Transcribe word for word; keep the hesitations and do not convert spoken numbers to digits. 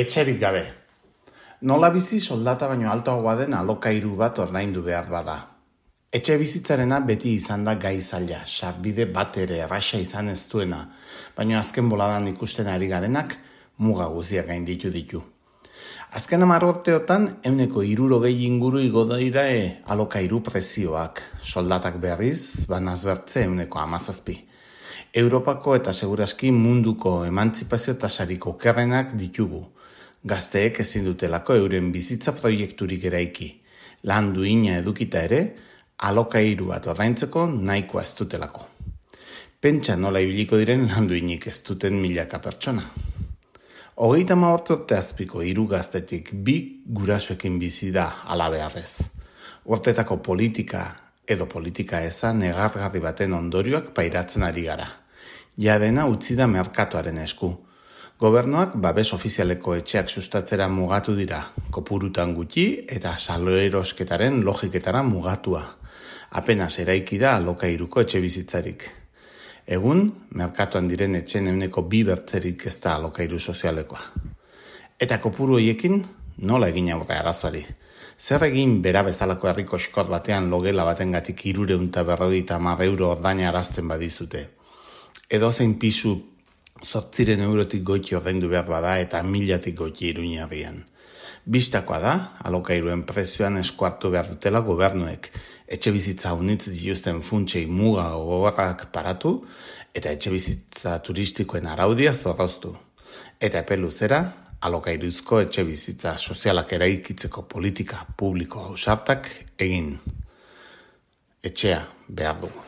Etxerik gabe. Nola bizi soldata baino altoagoa den alokairu bat ordaindu behar bada. Etxe bizitzarena beti izan da gai zaila, sarbide bat ere erraxa izan ez duena, baina azken boladan ikusten ari garenak muga guziak gainditu ditu. Azken hamar urteotan ehuneko hirurogei inguru igo dira e, alokairu prezioak, soldatak berriz, banazbertze ehuneko hamazazpi. Europako eta seguraski munduko emantzipazio tasarik okerrenak ditugu. Gazteek ezin dutelako euren bizitza proiekturik eraiki. Lan duina edukita ere, alokairu bat ordaintzeko nahikoa ez dutelako. Pentsa nola ibiliko diren lan duinik ez duten milaka pertsona. Hogeita hamabost urte azpiko hiru gaztetik bi gurasoekin bizi da hala beharrez. Urtetako politika edo politika eza negargarri baten ondorioak pairatzen ari gara. Jadena utzi da merkatuaren esku. Gobernuak babes ofizialeko etxeak sustatzera mugatu dira, kopurutan gutxi eta saloerosketaren logiketara mugatua. Apenas eraiki da alokairuko etxe bizitzarik. Egun, merkatuan diren etxen ehuneko bi bertzerik ez da alokairu sozialekoa. Eta kopuru horiekin nola egin aurre arazoari. Zer egin bera bezalako herriko eskor batean logela batengatik hirurehun eta berrogeita hamar euro ordaina arazten badizute. Edo zein pisu zortziren eurotik goiti ordaindu behar bada eta milatik goiti Iruñerrian. Bistakoa da, alokairuen prezioan eskuartu behar dutela gobernuek, etxe bizitza unitz dituzten funtsei muga gogorrak paratu eta etxe bizitza turistikoen araudia zorroztu. Eta epe luzera, alokairuzko etxe bizitza sozialak eraikitzeko politika publiko ausartak egin. Etxea behar dugu.